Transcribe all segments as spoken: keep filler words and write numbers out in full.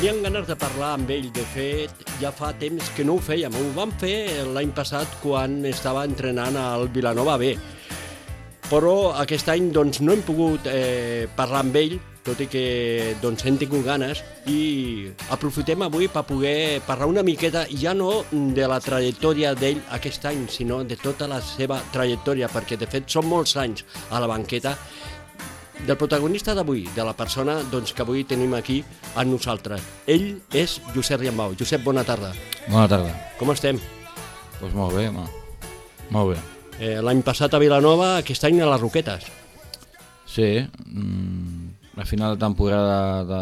Teníem ganes de parlar amb ell. De fet, ja fa temps que no ho fèiem. Ho vam fer l'any passat quan estava entrenant al Vilanova B. Però aquest any doncs, no hem pogut eh, parlar amb ell, tot i que doncs, hem tingut ganes, i aprofitem avui per poder parlar una miqueta, ja no de la trajectòria d'ell aquest any, sinó de tota la seva trajectòria, perquè de fet són molts anys a la banqueta, del protagonista d'avui, de la persona doncs, que avui tenim aquí amb nosaltres. Ell és Josep Riambau. Josep, bona tarda. Bona tarda. Com estem? Doncs pues molt bé, home. Molt bé. Eh, L'any passat a Vilanova, aquest any a les Roquetes. Sí, mm, a final de temporada, de...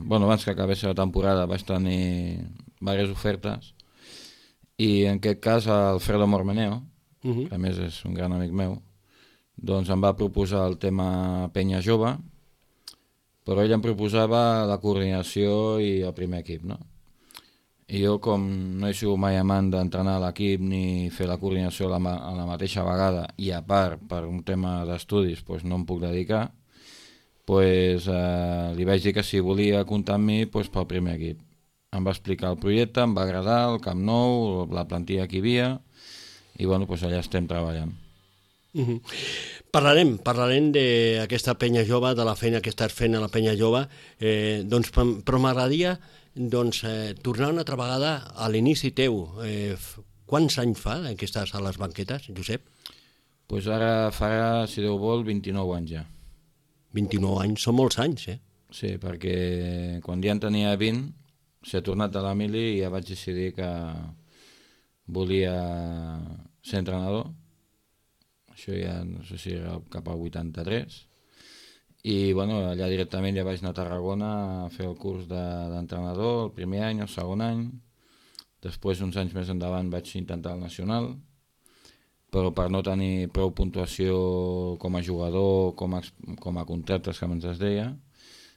bueno, abans que acabés la temporada vaig tenir diverses ofertes i en aquest cas Alfredo Mormeneo, uh -huh. que a més és un gran amic meu, doncs em va proposar el tema Penya Jove, però ell em proposava la coordinació i el primer equip, no? I jo, com no he sigut mai amant d'entrenar a l'equip ni fer la coordinació a la, ma a la mateixa vegada, i a part, per un tema d'estudis, doncs no em puc dedicar, doncs eh, li vaig dir que si volia comptar amb mi doncs pel primer equip. Em va explicar el projecte, em va agradar, el Camp Nou, la plantilla que hi havia, i bueno, doncs allà estem treballant. Uh -huh. Parlarem, parlarem d'aquesta penya jove, de la feina que estàs fent a la penya jove, eh, doncs, però m'agradaria doncs, eh, tornar una altra vegada a l'inici teu. Eh, quants anys fa que estàs a les banquetes, Josep? Doncs pues ara farà, si Déu vol, vint-i-nou anys ja. vint-i-nou anys, són molts anys, eh? Sí, perquè quan ja en tenia vint, s'ha tornat a l'Emili i ja vaig decidir que volia ser entrenador. Això ja no sé si era cap al vuitanta-tres, i bueno, allà directament ja vaig anar a Tarragona a fer el curs d'entrenador, el primer any, el segon any, després uns anys més endavant vaig intentar el nacional, però per no tenir prou puntuació com a jugador, com a, com a contractes que ens es deia,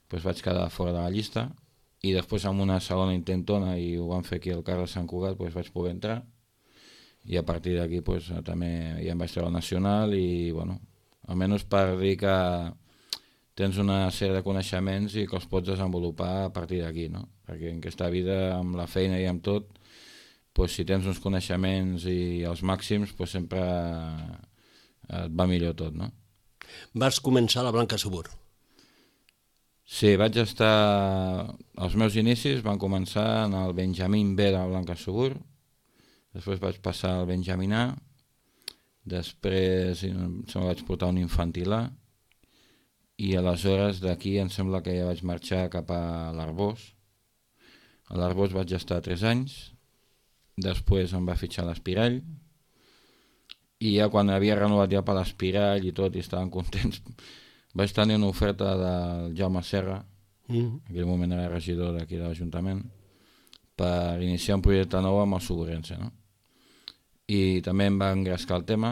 doncs vaig quedar fora de la llista, i després amb una segona intentona, i ho van fer aquí al Carles Sant Cugat, doncs vaig poder entrar, i a partir d'aquí pues, també ja em vaig treure al nacional i, bueno, almenys per dir que tens una sèrie de coneixements i que els pots desenvolupar a partir d'aquí, no? Perquè en aquesta vida, amb la feina i amb tot, pues, si tens uns coneixements i els màxims, pues, sempre et va millor tot, no? Vas començar a la Blanca Subur. Sí, vaig estar... Els meus inicis van començar en el Benjamín B de la Blanca Subur, després vaig passar al Benjamín A, després em vaig portar un infantil A, i aleshores d'aquí em sembla que ja vaig marxar cap a l'Arbós. A l'Arbós vaig estar tres anys, després em va fitxar l'Espirall, i ja quan havia renovat ja per l'Espirall i tot, i estaven contents, vaig tenir una oferta del Jaume Serra, mm. en aquell moment era regidor d'aquí de l'Ajuntament, per iniciar un projecte nou amb el Suburense, no? I també em va engrescar el tema.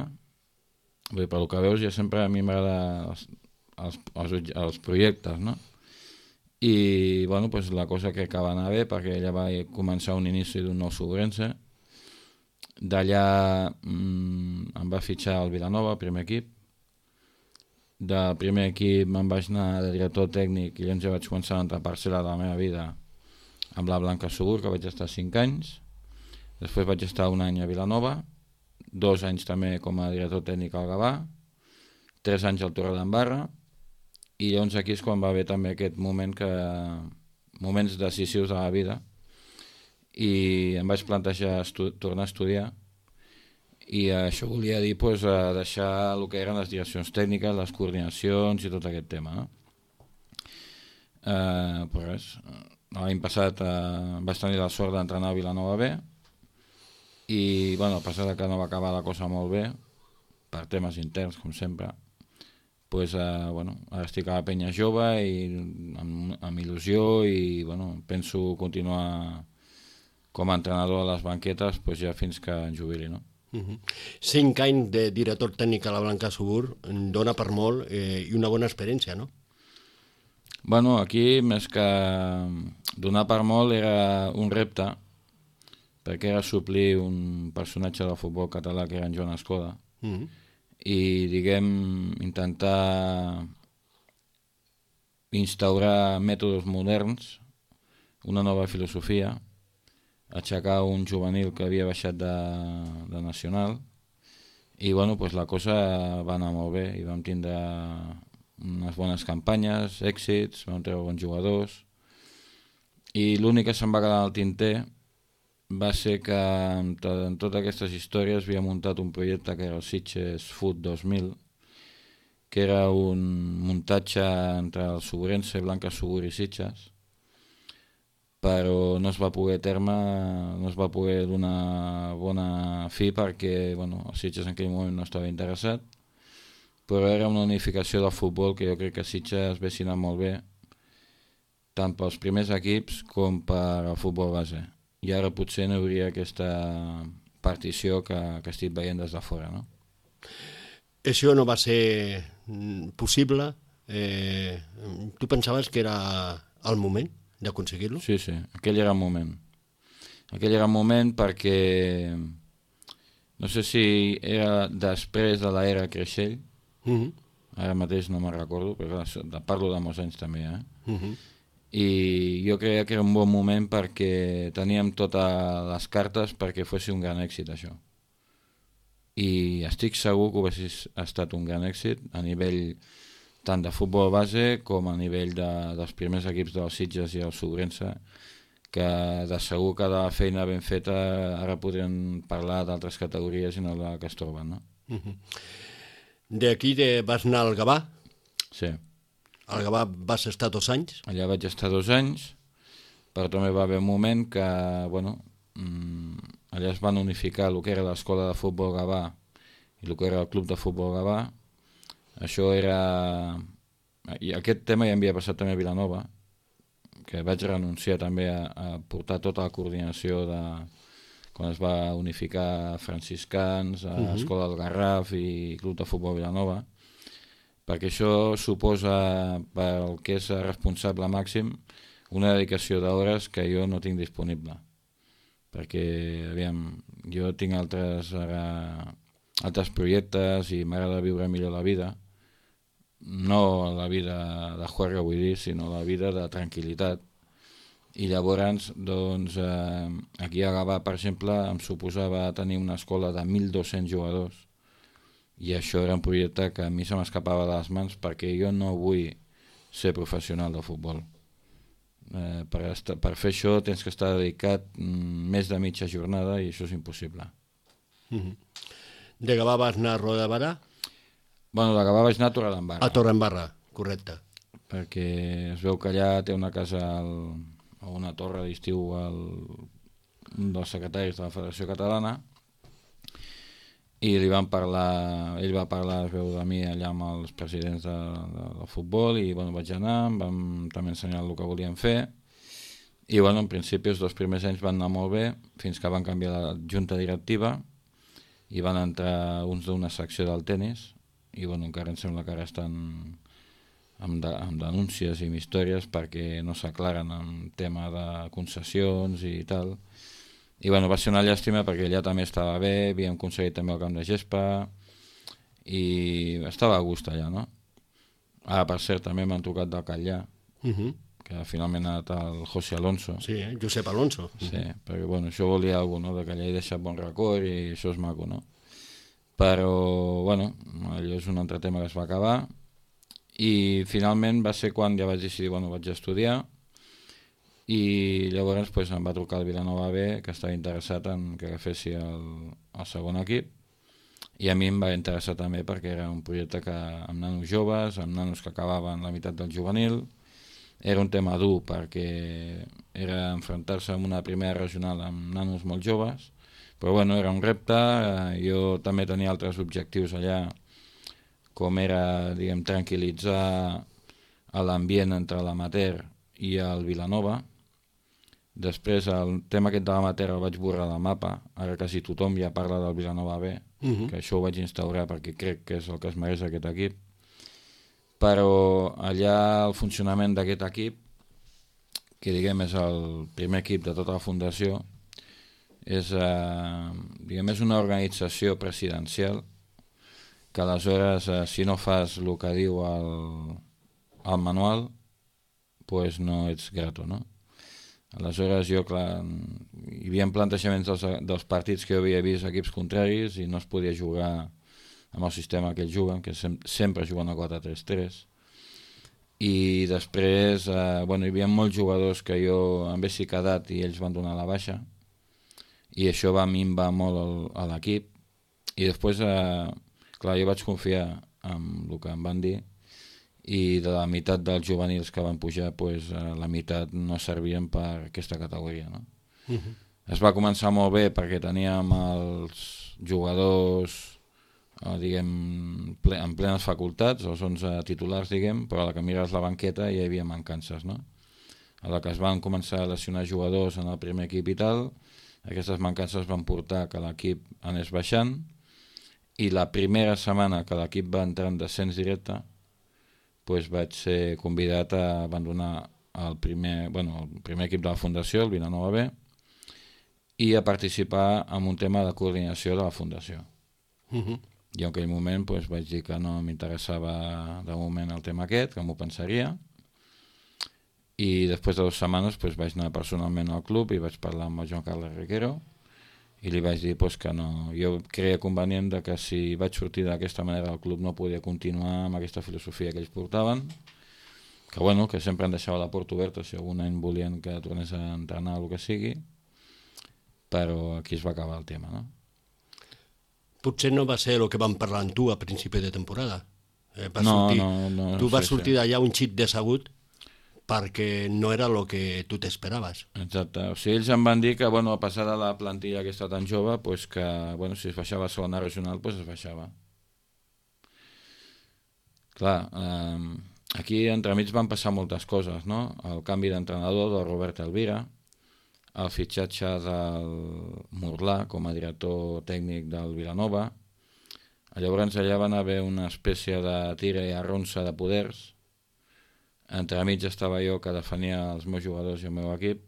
Bé, per el que veus, ja sempre a mi m'agrada els, els, els, els projectes, no? I bueno, pues la cosa crec que va anar bé, perquè ja va començar un inici d'un nou Suburense. D'allà mmm, em va fitxar el Vilanova, el primer equip. Del primer equip me'n vaig anar de director tècnic i llavors ja vaig començar a entrar parcel·la de la meva vida amb la Blanca Subur, que vaig estar cinc anys. Després vaig estar un any a Vilanova, dos anys també com a director tècnic al Gavà, tres anys al Torredembarra, i llavors aquí és quan va haver també aquest moment que... moments decisius de la vida, i em vaig plantejar tornar a estudiar, i això volia dir pues, deixar el que eren les direccions tècniques, les coordinacions i tot aquest tema, no? Eh, però res, l'any passat eh, vaig tenir la sort d'entrenar a Vilanova B, i bueno, a pesar que no va acabar la cosa molt bé, per temes interns, com sempre, pues, eh, bueno, ara estic a la penya jove i amb, amb il·lusió i bueno, penso continuar com a entrenador a les banquetes pues, ja fins que em jubili, no? Uh-huh. Cinc anys de director tècnic a la Blanca Subur dona per molt eh, i una bona experiència, no? Bueno, aquí més que donar per molt era un repte, perquè era suplir un personatge del futbol català que era en Joan Escoda, uh-huh. i diguem intentar instaurar mètodes moderns una nova filosofia, aixecar un juvenil que havia baixat de, de nacional, i bueno, pues la cosa va anar molt bé i vam tindre unes bones campanyes, èxits, vam treure bons jugadors, i l'únic que se'm va quedar al tinter va ser que en, to en totes aquestes històries havia muntat un projecte que era el Sitges Food dos mil, que era un muntatge entre el Sobrense, Blanca Subur i Sitges, però no es va poder terme, no es va poder donar bona fi perquè bueno, el Sitges en aquell moment no estava interessat, però era una unificació del futbol que jo crec que Sitges hagués anat molt bé, tant pels primers equips com per al futbol base. I ara potser no hi hauria aquesta partició que, que estic veient des de fora, no? Això no va ser possible? Eh, tu pensaves que era el moment d'aconseguir-lo? Sí, sí, aquell era el moment. Aquell era el moment perquè no sé si era després de l'era Creixell, uh -huh. ara mateix no me'n recordo, però parlo de molts anys també, eh? Uh -huh. I jo creia que era un bon moment perquè teníem totes les cartes perquè fos un gran èxit això. I estic segur que ho hagués estat un gran èxit a nivell tant de futbol base com a nivell de, dels primers equips dels Sitges i el Sobrense, que de segur que de la feina ben feta ara podrien parlar d'altres categories i no de la que es troben, no? Uh-huh. D'aquí vas anar al Gavà? Sí. Al Gavà vas estar dos anys? Allà vaig estar dos anys, però també va haver un moment que, bueno, mmm, allà es van unificar el que era l'escola de futbol Gavà i el que era el club de futbol Gavà. Això era... I aquest tema ja havia passat també a Vilanova, que vaig renunciar també a, a portar tota la coordinació de quan es va unificar Franciscans, a uh-huh. Escola del Garraf i Club de Futbol Vilanova, perquè això suposa pel que és responsable màxim una dedicació d'hores que jo no tinc disponible, perquè aviam, jo tinc altres, ara, altres projectes i m'agrada viure millor la vida, no la vida de juerga vull dir, sinó la vida de tranquil·litat. I llavors, doncs, eh, aquí a Gavà, per exemple, em suposava tenir una escola de mil dos-cents jugadors, i això era un projecte que a mi se m'escapava de les mans perquè jo no vull ser professional de futbol. Eh, per, estar, per fer això tens que estar dedicat mm, més de mitja jornada i això és impossible. Mm-hmm. De Gavà vas anar a Roda de Barà? Bueno, de Gavà vaig anar a Torredembarra. A Torredembarra, correcte. Perquè es veu que allà té una casa al, a una torre d'estiu un dels secretaris de la Federació Catalana i li van parlar, ell va parlar, es veu, de mi allà amb els presidents de, de, del futbol i bueno, vaig anar, em vam també ensenyar el que volíem fer i bueno, en principi els dos primers anys van anar molt bé fins que van canviar la junta directiva i van entrar uns d'una secció del tennis i bueno, encara em sembla que ara estan amb, de, amb denúncies i amb històries perquè no s'aclaren en tema de concessions i tal. I bueno, va ser una llàstima perquè allà també estava bé, havíem aconseguit també el camp de gespa i estava a gust allà, no? Ara, per cert, també m'han trucat del Catllà, uh-huh. que finalment ha anat el José Alonso. Sí, eh? Josep Alonso. Sí, uh-huh. perquè bueno, això volia alguna cosa, no? Que allà he deixat bon record i això és maco, no? Però, bueno, allò és un altre tema que es va acabar i finalment va ser quan ja vaig decidir, bueno, vaig estudiar i llavors pues, em va trucar el Vilanova B que estava interessat en que agafessi el, el segon equip i a mi em va interessar també perquè era un projecte que amb nanos joves, amb nanos que acabaven la meitat del juvenil, era un tema dur perquè era enfrontar-se amb una primera regional amb nanos molt joves, però bueno, era un repte, jo també tenia altres objectius allà, com era, diguem, tranquil·litzar l'ambient entre l'amateur i el Vilanova. Després el tema aquest de l'amateur el vaig borrar del mapa, ara quasi tothom ja parla del Vilanova B, uh-huh. que això ho vaig instaurar perquè crec que és el que es mereix aquest equip, però allà el funcionament d'aquest equip, que diguem és el primer equip de tota la fundació, és, eh, diguem, és una organització presidencial que aleshores eh, si no fas el que diu el, el manual pues no ets grato, no? Aleshores jo, clar, hi havia plantejaments dels, dels partits que jo havia vist equips contraris i no es podia jugar amb el sistema que ells juguen, que sem sempre juguen a quatre tres tres. I després, eh, bueno, hi havia molts jugadors que jo em haguessi quedat i ells van donar la baixa, i això va minvar molt el, a l'equip. I després, eh, clar, jo vaig confiar en el que em van dir, i de la meitat dels juvenils que van pujar, pues, eh, la meitat no servien per aquesta categoria, no? Uh-huh. Es va començar molt bé perquè teníem els jugadors, eh, diguem, ple, en plenes facultats, els onze titulars, diguem, però a la que mires la banqueta hi havia mancances, no? A la que es van començar a lesionar jugadors en el primer equip i tal, aquestes mancances van portar que l'equip anés baixant, i la primera setmana que l'equip va entrar en descens directe, pues vaig ser convidat a abandonar el primer, bueno, el primer equip de la Fundació, el Vilanova B, i a participar en un tema de coordinació de la Fundació. Uh-huh. I en aquell moment pues, vaig dir que no m'interessava de moment el tema aquest, que m'ho pensaria, i després de dues setmanes pues, vaig anar personalment al club i vaig parlar amb el Joan Carles Riquero i li vaig dir pues, que no, jo creia convenient de que si vaig sortir d'aquesta manera el club no podia continuar amb aquesta filosofia que ells portaven, que bueno, que sempre em deixava la porta oberta si algun any volien que tornés a entrenar o el que sigui, però aquí es va acabar el tema, no? Potser no va ser el que vam parlar amb tu a principi de temporada. Eh, vas no, sortir, no, no. Tu vas sí, sortir sí. d'allà un xic decebut perquè no era el que tu t'esperaves. Exacte. O sigui, ells em van dir que, bueno, a passar de la plantilla aquesta tan jove, pues que, bueno, si es baixava a segona regional, pues es baixava. Clar, eh, aquí entremig van passar moltes coses, no? El canvi d'entrenador del Robert Elvira, el fitxatge del Morlà com a director tècnic del Vilanova. Llavors allà van haver una espècie de tira i arronsa de poders. Entremig estava jo que defenia els meus jugadors i el meu equip,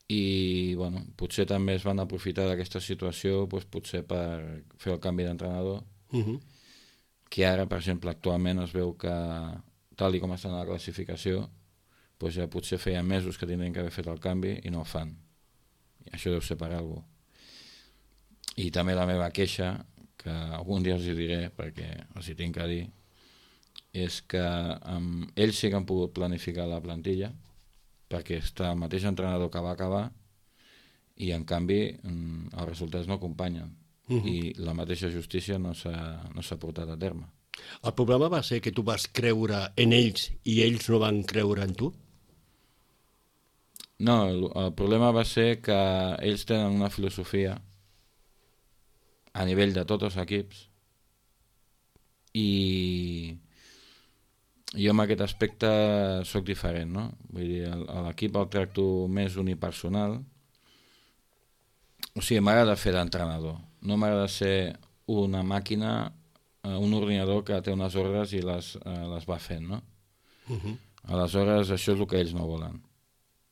i bueno, potser també es van aprofitar d'aquesta situació pues, potser per fer el canvi d'entrenador, uh-huh. que ara, per exemple, actualment es veu que, tal i com està en la classificació, pues ja potser feia mesos que tindrien que haver fet el canvi i no el fan. I això deu ser per alguna cosa. I també la meva queixa, que algun dia els hi diré perquè els hi tinc que dir, és que um, ells sí que han pogut planificar la plantilla perquè està el mateix entrenador que va acabar i en canvi um, els resultats no acompanyen. Uh-huh. I la mateixa justícia no s'ha no s'ha portat a terme. El problema va ser que tu vas creure en ells i ells no van creure en tu? No, el, el problema va ser que ells tenen una filosofia a nivell de tots els equips i jo en aquest aspecte sóc diferent, no? Vull dir, a l'equip el tracto més unipersonal. O sigui, m'agrada fer d'entrenador. No m'agrada ser una màquina, un ordinador que té unes ordres i les, eh, les va fent, no? Uh-huh. Aleshores, això és el que ells no volen.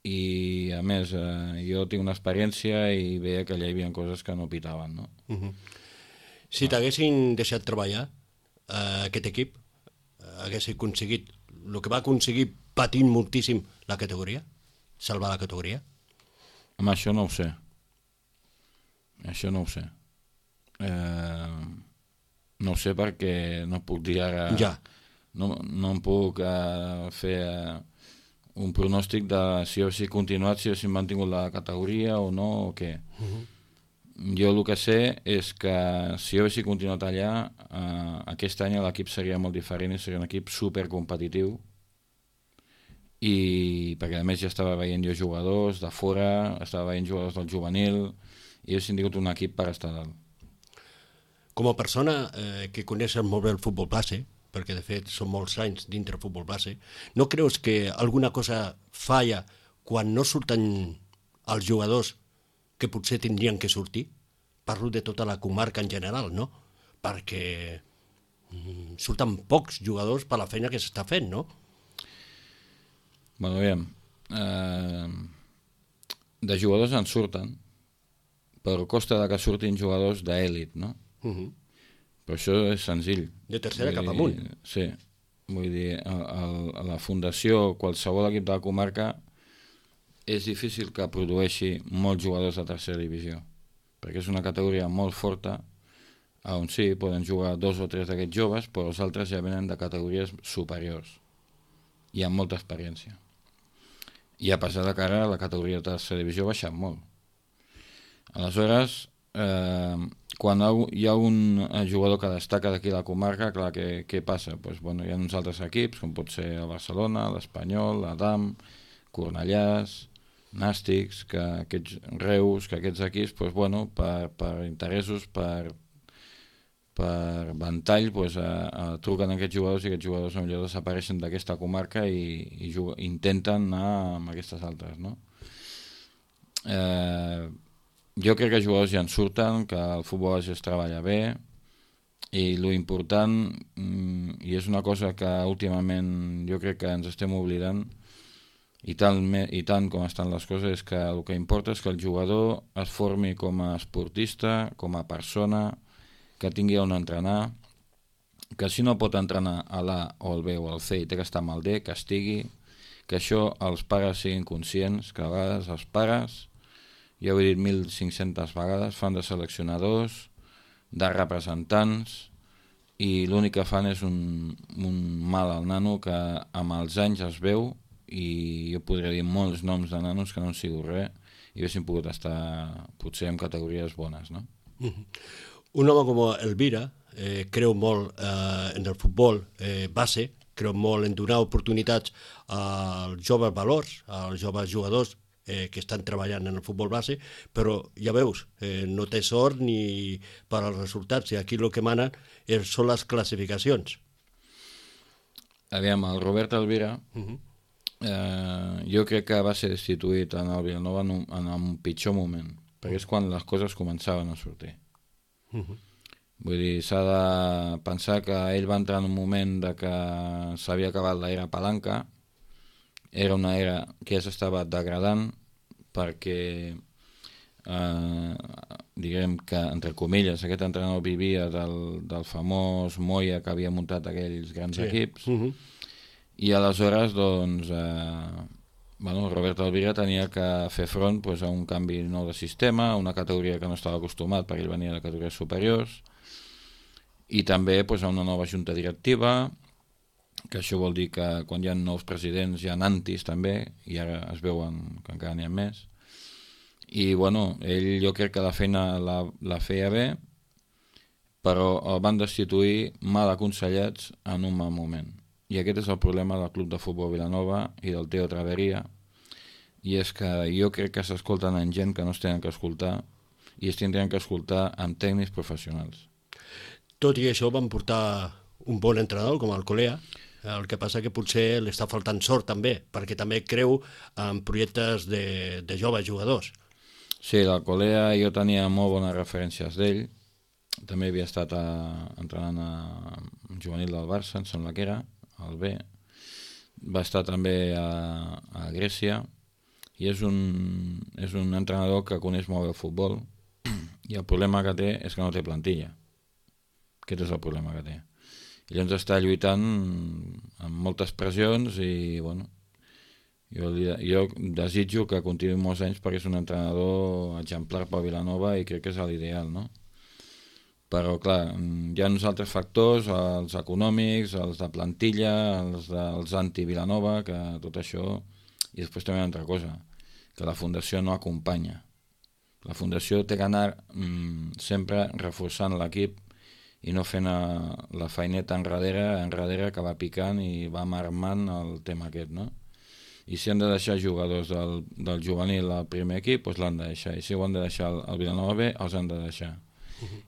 I, a més, eh, jo tinc una experiència i veia que allà hi havia coses que no pitaven, no? Uh-huh. Si t'haguessin deixat treballar eh, aquest equip, hagués aconseguit el que va aconseguir patint moltíssim la categoria? Salvar la categoria? Home, això no ho sé. Això no ho sé. Eh, no ho sé perquè no puc dir ara... Ja. No, no em puc eh, fer eh, un pronòstic de si ho he continuat, si ho he mantingut la categoria o no, o què. Uh-huh. Jo el que sé és que si jo hagués continuat allà, eh, aquest any l'equip seria molt diferent i seria un equip supercompetitiu, i perquè a més ja estava veient jo jugadors de fora, estava veient jugadors del juvenil i haguessin tingut un equip per estar dalt. Com a persona eh, que coneixes molt bé el futbol base, perquè de fet són molts anys dintre el futbol base, no creus que alguna cosa falla quan no surten els jugadors que potser tindrien que sortir? Parlo de tota la comarca en general, no? Perquè mm, surten pocs jugadors per la feina que s'està fent, no? Bueno, aviam, eh, de jugadors en surten, però costa de que surtin jugadors d'èlit, no? Uh-huh. Però això és senzill. De tercera vull cap dir, amunt. Sí, vull dir, a, a, a la fundació, qualsevol equip de la comarca és difícil que produeixi molts jugadors de tercera divisió, perquè és una categoria molt forta, on sí, poden jugar dos o tres d'aquests joves, però els altres ja venen de categories superiors i amb molta experiència. I a pesar de que ara la categoria de tercera divisió ha baixat molt. Aleshores, eh, quan hi ha un jugador que destaca d'aquí a la comarca, clar, què, què passa? Pues, bueno, hi ha uns altres equips, com pot ser el Barcelona, l'Espanyol, l'Adam, Cornellàs, Nàstics, que aquests Reus, que aquests equips, pues, bueno, per, per interessos, per per ventall, pues, a, a, truquen aquests jugadors i aquests jugadors millor desapareixen d'aquesta comarca i, i juguen, intenten anar amb aquestes altres, no? Eh, jo crec que els jugadors ja en surten, que el futbol es treballa bé i lo important, i és una cosa que últimament jo crec que ens estem oblidant, i tant, i tant com estan les coses, és que el que importa és que el jugador es formi com a esportista, com a persona, que tingui on entrenar, que si no pot entrenar a l'A o al B o al C i té que estar amb el D, que estigui, que això els pares siguin conscients, que a vegades els pares, ja ho he dit mil cinc-centes vegades, fan de seleccionadors, de representants, i l'únic que fan és un, un mal al nano que amb els anys es veu, i jo podria dir molts noms de nanos que no han sigut res i haguessin pogut estar potser en categories bones, no? Mm-hmm. Un home com Elvira eh, creu molt eh, en el futbol eh, base, creu molt en donar oportunitats als joves valors, als joves jugadors eh, que estan treballant en el futbol base, però ja veus, eh, no té sort ni per als resultats, i aquí el que manen és, són les classificacions. Aviam, el Robert Elvira, uh-huh. eh, jo crec que va ser destituït en el Vilanova en un, en un pitjor moment, perquè és quan les coses començaven a sortir. Uh-huh. Vull dir, s'ha de pensar que ell va entrar en un moment de que s'havia acabat l'era palanca, era una era que ja s'estava degradant perquè eh, diguem que, entre comilles, aquest entrenador vivia del, del famós Moya que havia muntat aquells grans sí. equips, uh-huh. i aleshores doncs eh, bueno, Robert Elvira tenia que fer front pues, a un canvi nou de sistema, a una categoria que no estava acostumat perquè ell venia de categories superiors, i també pues, a una nova junta directiva, que això vol dir que quan hi ha nous presidents hi ha antis també, i ara es veuen que encara n'hi ha més. I bueno, ell jo crec que la feina la, la feia bé, però el van destituir mal aconsellats en un mal moment. I aquest és el problema del Club de Futbol Vilanova i del Teo Traveria, i és que jo crec que s'escolten en gent que no es tenen que escoltar i es tindrien que escoltar amb tècnics professionals. Tot i això van portar un bon entrenador com el Colea, el que passa que potser li està faltant sort també, perquè també creu en projectes de, de joves jugadors. Sí, el Colea jo tenia molt bones referències d'ell, també havia estat a, entrenant a un juvenil del Barça, em sembla que era, al B, va estar també a, a Grècia, i és un, és un entrenador que coneix molt bé el futbol, i el problema que té és que no té plantilla. Aquest és el problema que té. I llavors està lluitant amb moltes pressions i, bueno, jo, jo desitjo que continuï molts anys perquè és un entrenador exemplar per Vilanova i crec que és l'ideal, no? Però, clar, hi ha uns altres factors, els econòmics, els de plantilla, els dels anti-Vilanova, que tot això... I després també una altra cosa, que la Fundació no acompanya. La Fundació té que anar mm, sempre reforçant l'equip i no fent la feineta enrere, enrere que va picant i va marmant el tema aquest, no? I si han de deixar jugadors del, del juvenil al primer equip, doncs l'han de deixar. I si ho han de deixar al Vilanova B, els han de deixar.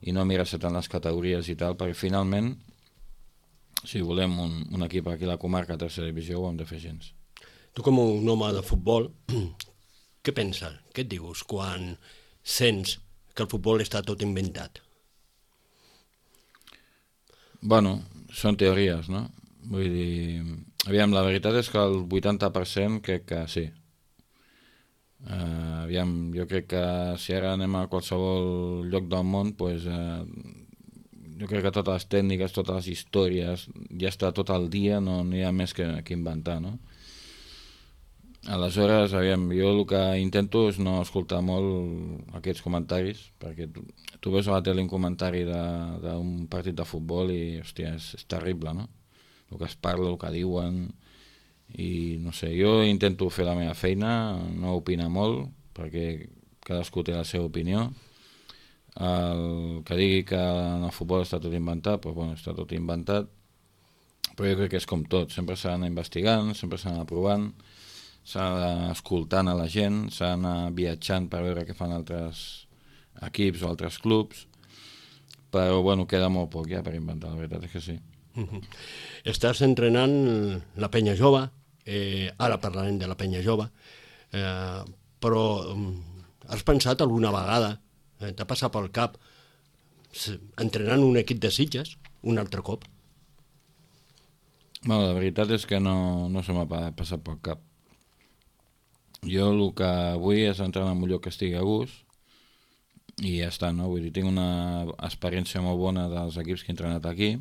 I no mirar-se tant les categories i tal, perquè finalment, si volem un, un equip aquí a la comarca a tercera divisió, ho hem de fer gens. Tu com un home de futbol, què penses? Què et dius quan sents que el futbol està tot inventat? Bueno, són teories, no? Vull dir, aviam, la veritat és que el vuitanta per cent crec que sí. Uh, aviam, jo crec que si ara anem a qualsevol lloc del món, pues, uh, jo crec que totes les tècniques, totes les històries, ja està tot el dia, no, no hi ha més que, que inventar, no? Aleshores, aviam, jo el que intento és no escoltar molt aquests comentaris, perquè tu, tu veus a la tele un comentari d'un partit de futbol i, hòstia, és, és terrible, no? El que es parla, el que diuen, i no sé, jo intento fer la meva feina, no opinar molt, perquè cadascú té la seva opinió. El que digui que en el futbol està tot inventat, doncs bueno, està tot inventat, però jo crec que és com tot, sempre s'ha d'anar investigant, sempre s'ha d'anar provant, s'ha d'anar escoltant a la gent, s'ha d'anar viatjant per veure què fan altres equips o altres clubs, però bueno, queda molt poc ja per inventar, la veritat és que sí. Uh-huh. Estàs entrenant la penya jove, eh, ara parlarem de la penya jove, eh, però um, has pensat alguna vegada, eh, t'ha passat pel cap, entrenant un equip de Sitges un altre cop? Bueno, la veritat és que no, no se m'ha passat pel cap. Jo el que vull és entrar en un lloc que estigui a gust i ja està, no? Vull dir, tinc una experiència molt bona dels equips que he entrenat aquí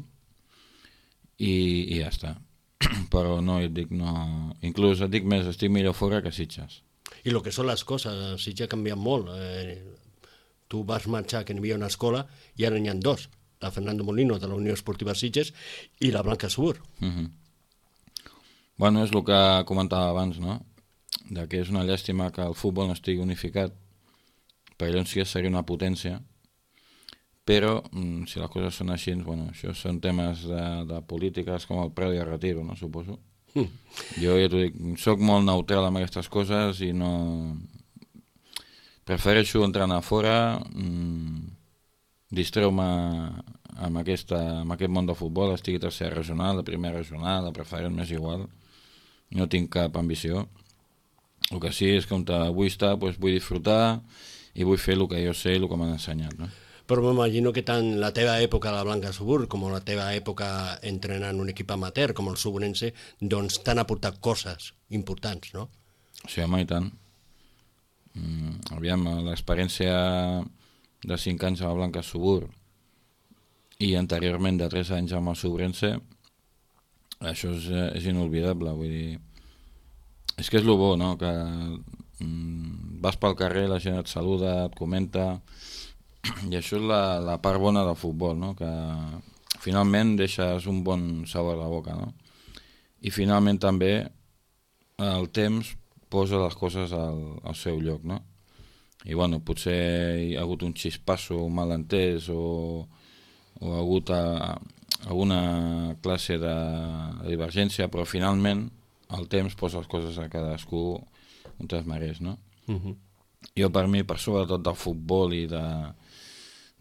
i, i ja està. Però no, et dic, no... Inclús et dic més, estic millor fora que Sitges. I el que són les coses, Sitges ha canviat molt. Eh, tu vas marxar que n'hi havia una escola i ara n'hi ha dos. La Fernando Molino de la Unió Esportiva Sitges i la Blanca Subur. Uh-huh. Bueno, és el que comentava abans, no? De que és una llàstima que el futbol no estigui unificat, perquè llavors sí que seria una potència, però mm, si les coses són així, bueno, això són temes de, de polítiques com el preu i el retiro, no, suposo. Mm. Jo ja t'ho dic, soc molt neutral amb aquestes coses i no... Prefereixo entrenar fora, mm, distreu-me amb, aquesta, amb aquest món de futbol, estigui tercera regional, la primera regional, la preferent, m'és igual, no tinc cap ambició. El que sí és que on vull estar, doncs vull disfrutar i vull fer el que jo sé i el que m'han ensenyat, no? Però m'imagino que tant la teva època a la Blanca Subur com la teva època entrenant un equip amateur com el Suburense, doncs t'han aportat coses importants, no? Sí, home, i tant. Mm, aviam, l'experiència de cinc anys a la Blanca Subur i anteriorment de tres anys amb el Suburense, això és, és inolvidable, vull dir... És que és el bo, no? Que mm, vas pel carrer, la gent et saluda, et comenta, i això és la, la part bona del futbol, no? Que finalment deixes un bon sabor a la boca, no? I finalment també el temps posa les coses al, al seu lloc, no? I bueno, potser hi ha hagut un xispasso, un malentès o, o ha hagut a, alguna classe de, de divergència, però finalment el temps posa les coses a cadascú on es mereix, no? Uh-huh. Jo, per mi, per sobretot del futbol i de,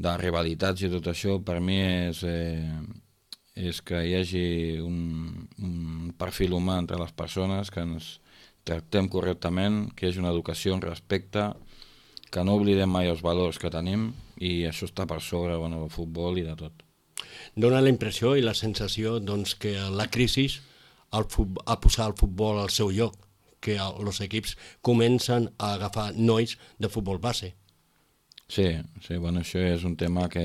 de rivalitats i tot això, per mi és, eh, és que hi hagi un, un perfil humà entre les persones, que ens tractem correctament, que hi hagi una educació, un respecte, que no oblidem mai els valors que tenim, i això està per sobre, bueno, del futbol i de tot. Dóna la impressió i la sensació, doncs, que la crisi al futbol, a posar el futbol al seu lloc, que els equips comencen a agafar nois de futbol base. Sí, sí, bueno, això és un tema que...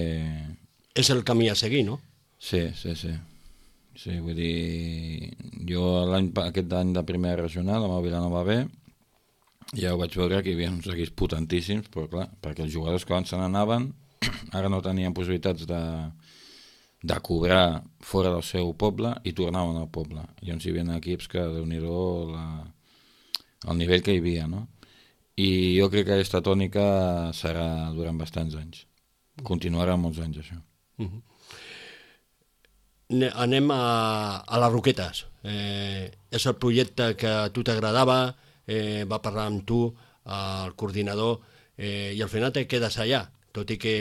És el camí a seguir, no? Sí, sí, sí. Sí, vull dir, jo l'any, aquest any de primera regional, amb el Vilanova B, ja ho vaig veure que hi havia uns equips potentíssims, però clar, perquè els jugadors que abans se n'anaven, ara no tenien possibilitats de... de cobrar fora del seu poble i tornaven al poble. Llavors hi havia equips que, déu-n'hi-do, la... el nivell que hi havia, no? I jo crec que aquesta tònica serà durant bastants anys. Continuarà molts anys, això. Uh-huh. Anem a, a les Roquetes. Eh, és el projecte que a tu t'agradava, eh, va parlar amb tu, el coordinador, eh, i al final te quedes allà, tot i que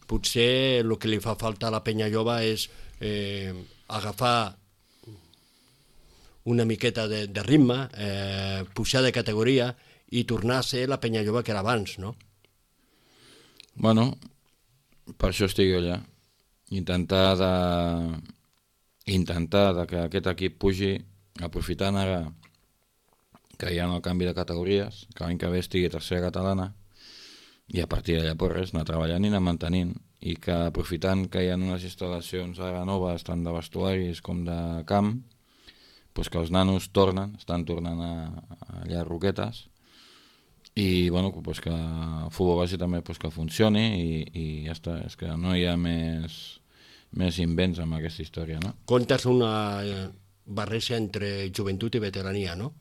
potser el que li fa falta a la penya jove és eh, agafar una miqueta de, de ritme, eh, pujar de categoria i tornar a ser la penya jove que era abans, no? Bueno, per això estic jo allà. Intentar de, intentar de que aquest equip pugi, aprofitant ara que hi ha el canvi de categories, que l'any que ve estigui tercera catalana, i a partir d'allà per res, anar treballant i anar mantenint, i que aprofitant que hi ha unes instal·lacions ara noves, tant de vestuaris com de camp, pues que els nanos tornen, estan tornant a, a allà a Roquetes, i bueno, pues que el futbol base també pues que funcioni i, i ja està, és que no hi ha més, més invents amb aquesta història, no? Comptes una barreja entre joventut i veterania, no?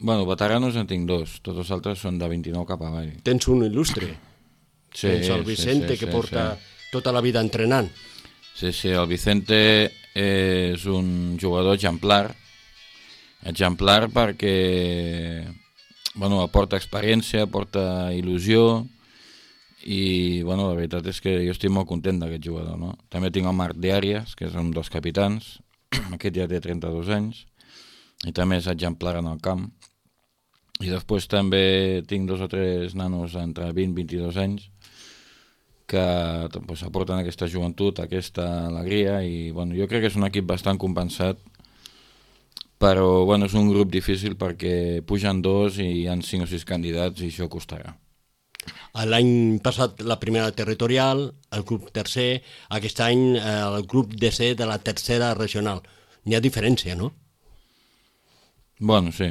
Bueno, veteranos en tinc dos, tots els altres són de vint-i-nou cap avall. Tens un il·lustre, Sí, tens el Vicente, sí, sí, que sí, porta sí. tota la vida entrenant. Sí, sí, el Vicente és un jugador exemplar, exemplar perquè bueno, aporta experiència, aporta il·lusió i bueno, la veritat és que jo estic molt content d'aquest jugador, no? També tinc el Marc de Arias, que és un dels capitans, aquest ja té trenta-dos anys i també és exemplar en el camp. I després també tinc dos o tres nanos entre vint i vint-i-dos anys que pues, aporten aquesta joventut, aquesta alegria i bueno, jo crec que és un equip bastant compensat, però bueno, és un grup difícil perquè pugen dos i hi ha cinc o sis candidats i això costarà. L'any passat la primera territorial, el grup tercer, aquest any el grup D C de la tercera regional. N'hi ha diferència, no? Bueno, sí.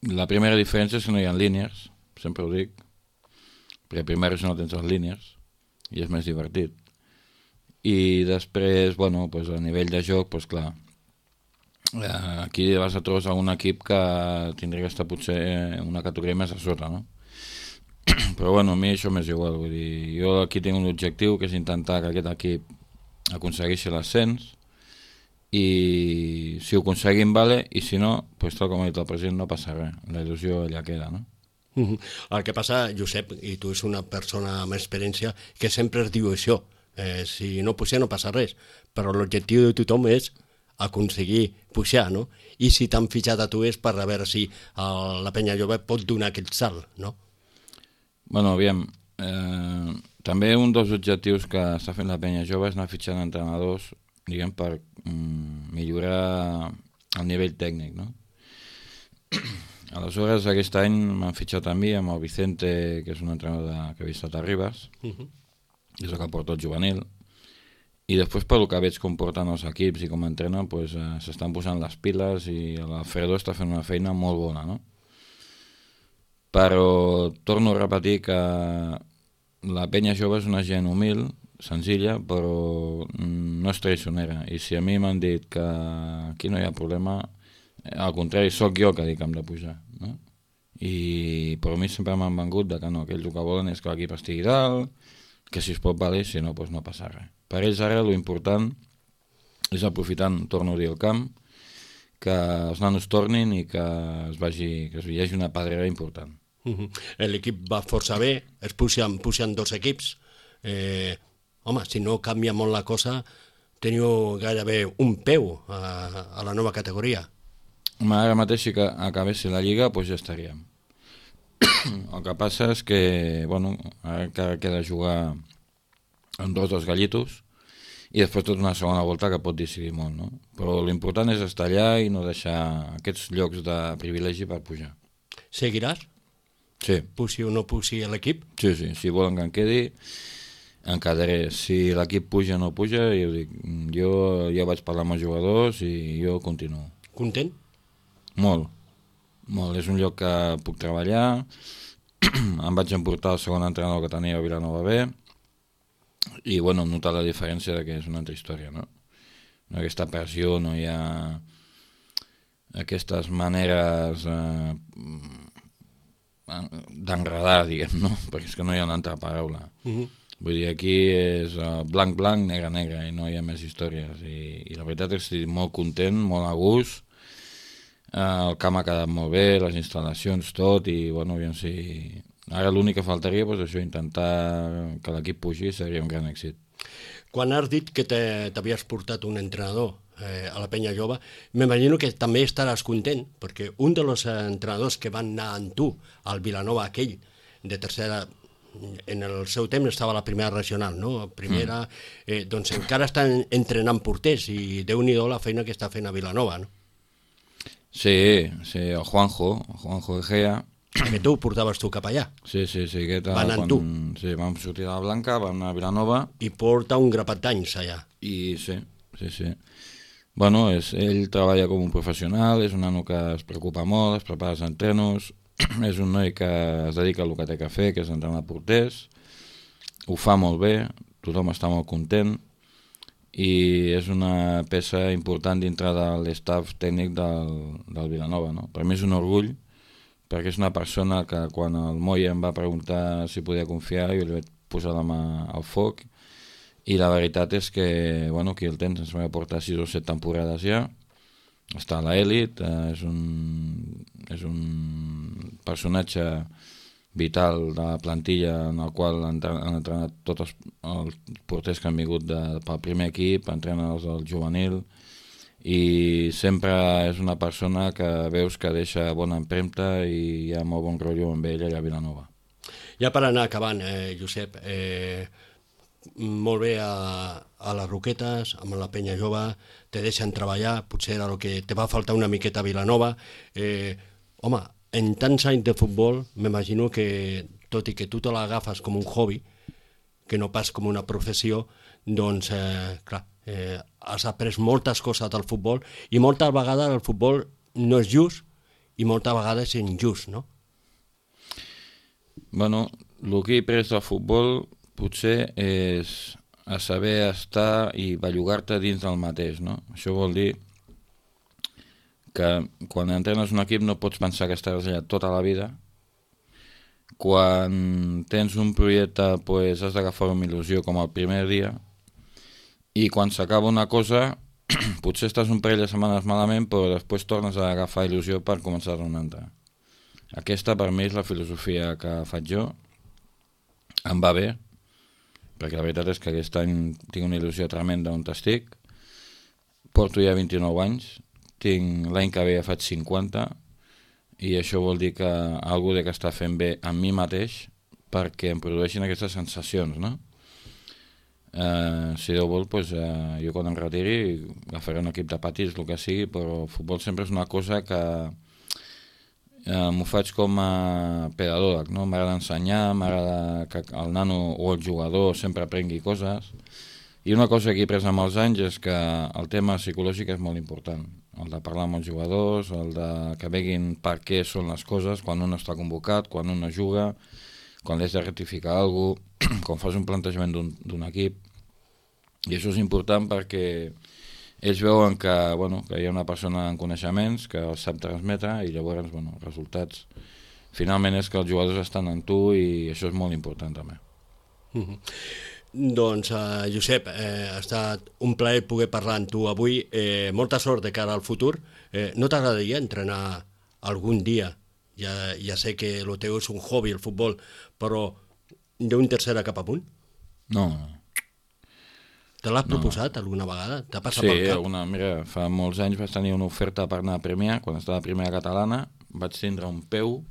La primera diferència és que no hi ha línies, sempre ho dic, perquè primer no tens les línies i és més divertit. I després, bueno, pues a nivell de joc, pues clar, aquí vas a trobar un equip que tindria que estar potser una categoria més a sota, no? Però bueno, a mi això m'és igual, vull dir, jo aquí tinc un objectiu que és intentar que aquest equip aconsegueixi l'ascens i si ho aconseguim, vale, i si no, pues tal com ha dit el president, no passa res, la il·lusió allà queda, no? El que passa, Josep, i tu ets una persona amb experiència, que sempre es diu això, eh, si no puja no passa res, però l'objectiu de tothom és aconseguir pujar, no? I si t'han fitxat a tu és per a veure si el, la penya jove pot donar aquest salt, no? Bueno, aviam, eh, també un dels objectius que està fent la penya jove és anar fitxant entrenadors, diguem, per mm, millorar el nivell tècnic, no? Aleshores, aquest any m'han fitxat a mi amb el Vicente, que és un entrenador de, que ha estat a Ribes, uh-huh. és el que porta el juvenil, i després pel que veig com porten els equips i com entrenen, pues, eh, s'estan posant les piles i l'Alfredo està fent una feina molt bona, no? Però torno a repetir que la penya jove és una gent humil, senzilla, però no és traicionera. I si a mi m'han dit que aquí no hi ha problema, al contrari, sóc jo que dic que hem de pujar, no? I per mi sempre m'han vengut de que no, que ells el que volen és que l'equip estigui dalt, que si es pot valer, si no, doncs no passa res. Per ells ara l'important és aprofitant, torno a dir, el camp, que els nanos tornin i que es vagi, que hi hagi una pedrera important. Uh-huh. L'equip va força bé, es pugen, pugen dos equips. Eh, home, si no canvia molt la cosa, teniu gairebé un peu a, a la nova categoria. Home, ara mateix si que acabessi la lliga, doncs ja estaríem. El que passa és que, bueno, ara encara queda jugar amb dos dels gallitos i després tota una segona volta que pot decidir molt, no? Però l'important és estar allà i no deixar aquests llocs de privilegi per pujar. Seguiràs? Sí. Pugi o no pugi l'equip? Sí, sí, si volen que em quedi, em quedaré. Si l'equip puja o no puja, jo dic, jo ja vaig parlar amb els jugadors i jo continuo. Content? Molt, molt. És un lloc que puc treballar, em vaig emportar el segon entrenador que tenia a Vilanova B i, bueno, notar la diferència de que és una altra història, no? No hi ha aquesta pressió, no hi ha aquestes maneres eh, d'enredar, diguem, no? Perquè és que no hi ha una altra paraula. Uh-huh. Vull dir, aquí és uh, blanc, blanc, negre, negre, i no hi ha més històries. I, i la veritat és que estic molt content, molt a gust. Uh, el camp ha quedat molt bé, les instal·lacions, tot, i, bueno, aviam si... Ara l'únic que faltaria, doncs, això, intentar que l'equip pugi seria un gran èxit. Quan has dit que t'havies portat un entrenador eh, a la penya jove, m'imagino que també estaràs content, perquè un dels entrenadors que van anar amb tu al Vilanova aquell, de tercera, en el seu temps estava a la primera regional, no? Primera, eh, doncs encara estan entrenant porters i Déu-n'hi-do la feina que està fent a Vilanova, no? Sí, sí, el Juanjo, el Juanjo Egea. Que tu portaves tu cap allà. Sí, sí, sí. Aquest, van amb quan, tu. Sí, vam sortir de la Blanca, vam anar a Vilanova. I porta un grapat d'anys allà. I sí, sí, sí. Bueno, és, ell treballa com un professional, és un nano que es preocupa molt, es prepara els entrenos, és un noi que es dedica al que té que fer, que és entrenar porters, ho fa molt bé, tothom està molt content i és una peça important dintre de l'estaf tècnic del, del Vilanova, no? Per mi és un orgull, perquè és una persona que quan el Moya em va preguntar si podia confiar, jo li vaig posar la mà al foc, i la veritat és que, bueno, aquí el tens, ens va portar sis o set temporades ja, està a l'elit, eh, és, un, és un personatge vital de la plantilla en el qual han, han entrenat tots els, els porters que han vingut de, pel primer equip, entrenen els del juvenil, i sempre és una persona que veus que deixa bona empremta i hi ha molt bon rotllo amb ell allà a Vilanova. Ja per anar acabant, eh, Josep, eh, molt bé a, a les Roquetes, amb la penya jove, te deixen treballar, potser era el que te va faltar una miqueta a Vilanova. Eh, home, en tants anys de futbol, m'imagino que, tot i que tu te l'agafes com un hobby, que no pas com una professió, doncs, eh, clar, eh, has après moltes coses del futbol i moltes vegades el futbol no és just i moltes vegades és injust, no? Bueno, el que he après del futbol potser és a saber estar i bellugar-te dins del mateix, no? Això vol dir que quan entrenes un equip no pots pensar que estaràs allà tota la vida. Quan tens un projecte, pues, has d'agafar amb il·lusió com el primer dia, i quan s'acaba una cosa potser estàs un parell de setmanes malament, però després tornes a agafar il·lusió per començar una altra. Aquesta per mi és la filosofia que faig jo, em va bé, perquè la veritat és que aquest any tinc una il·lusió tremenda on estic, porto ja vint-i-nou anys, tinc l'any que ve ja faig cinquanta, i això vol dir que algú de que està fent bé amb mi mateix perquè em produeixin aquestes sensacions, no? Eh, si Déu vol, doncs, eh, jo quan em retiri agafaré un equip de patis, el que sigui, però el futbol sempre és una cosa que eh, m'ho faig com a pedagog, no? M'agrada ensenyar, m'agrada que el nano o el jugador sempre aprengui coses, i una cosa que he après amb els anys és que el tema psicològic és molt important, el de parlar amb els jugadors, el de que veguin per què són les coses, quan un està convocat, quan un no juga, quan has de rectificar alguna cosa, quan fas un plantejament d'un equip, i això és important perquè ells veuen que, bueno, que hi ha una persona amb coneixements que els sap transmetre, i llavors, bueno, els resultats finalment és que els jugadors estan en tu, i això és molt important també. Mm-hmm. Doncs, uh, Josep, eh, ha estat un plaer poder parlar amb tu avui. Eh, molta sort de cara al futur. Eh, no t'agradaria entrenar algun dia? Ja, ja sé que el teu és un hobby, el futbol, però d'un tercera cap amunt? No, no. Te l'has proposat no. alguna vegada? T'ha passat sí, pel cap? Alguna, mira, fa molts anys vaig tenir una oferta per anar a Premià, quan estava a Primera Catalana, vaig tindre un peu,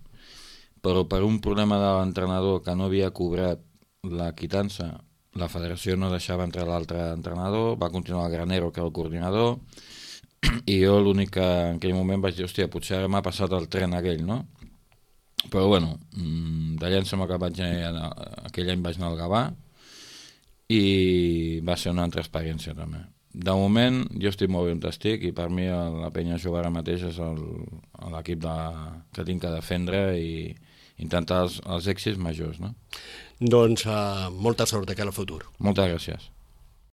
però per un problema de l'entrenador que no havia cobrat la quitança, la federació no deixava entrar l'altre entrenador, va continuar el Granero, que era el coordinador, i jo l'únic que en aquell moment vaig dir, hòstia, potser ara m'ha passat el tren aquell, no? Però bueno, d'allà em sembla que vaig anar, aquell any vaig anar al Gavà, i va ser una altra experiència també. De moment jo estic molt bé on estic, i per mi la penya jove ara mateix és l'equip que tinc que defendre i intentar els, els èxits majors, no? Doncs uh, molta sort de cara al futur. Moltes gràcies.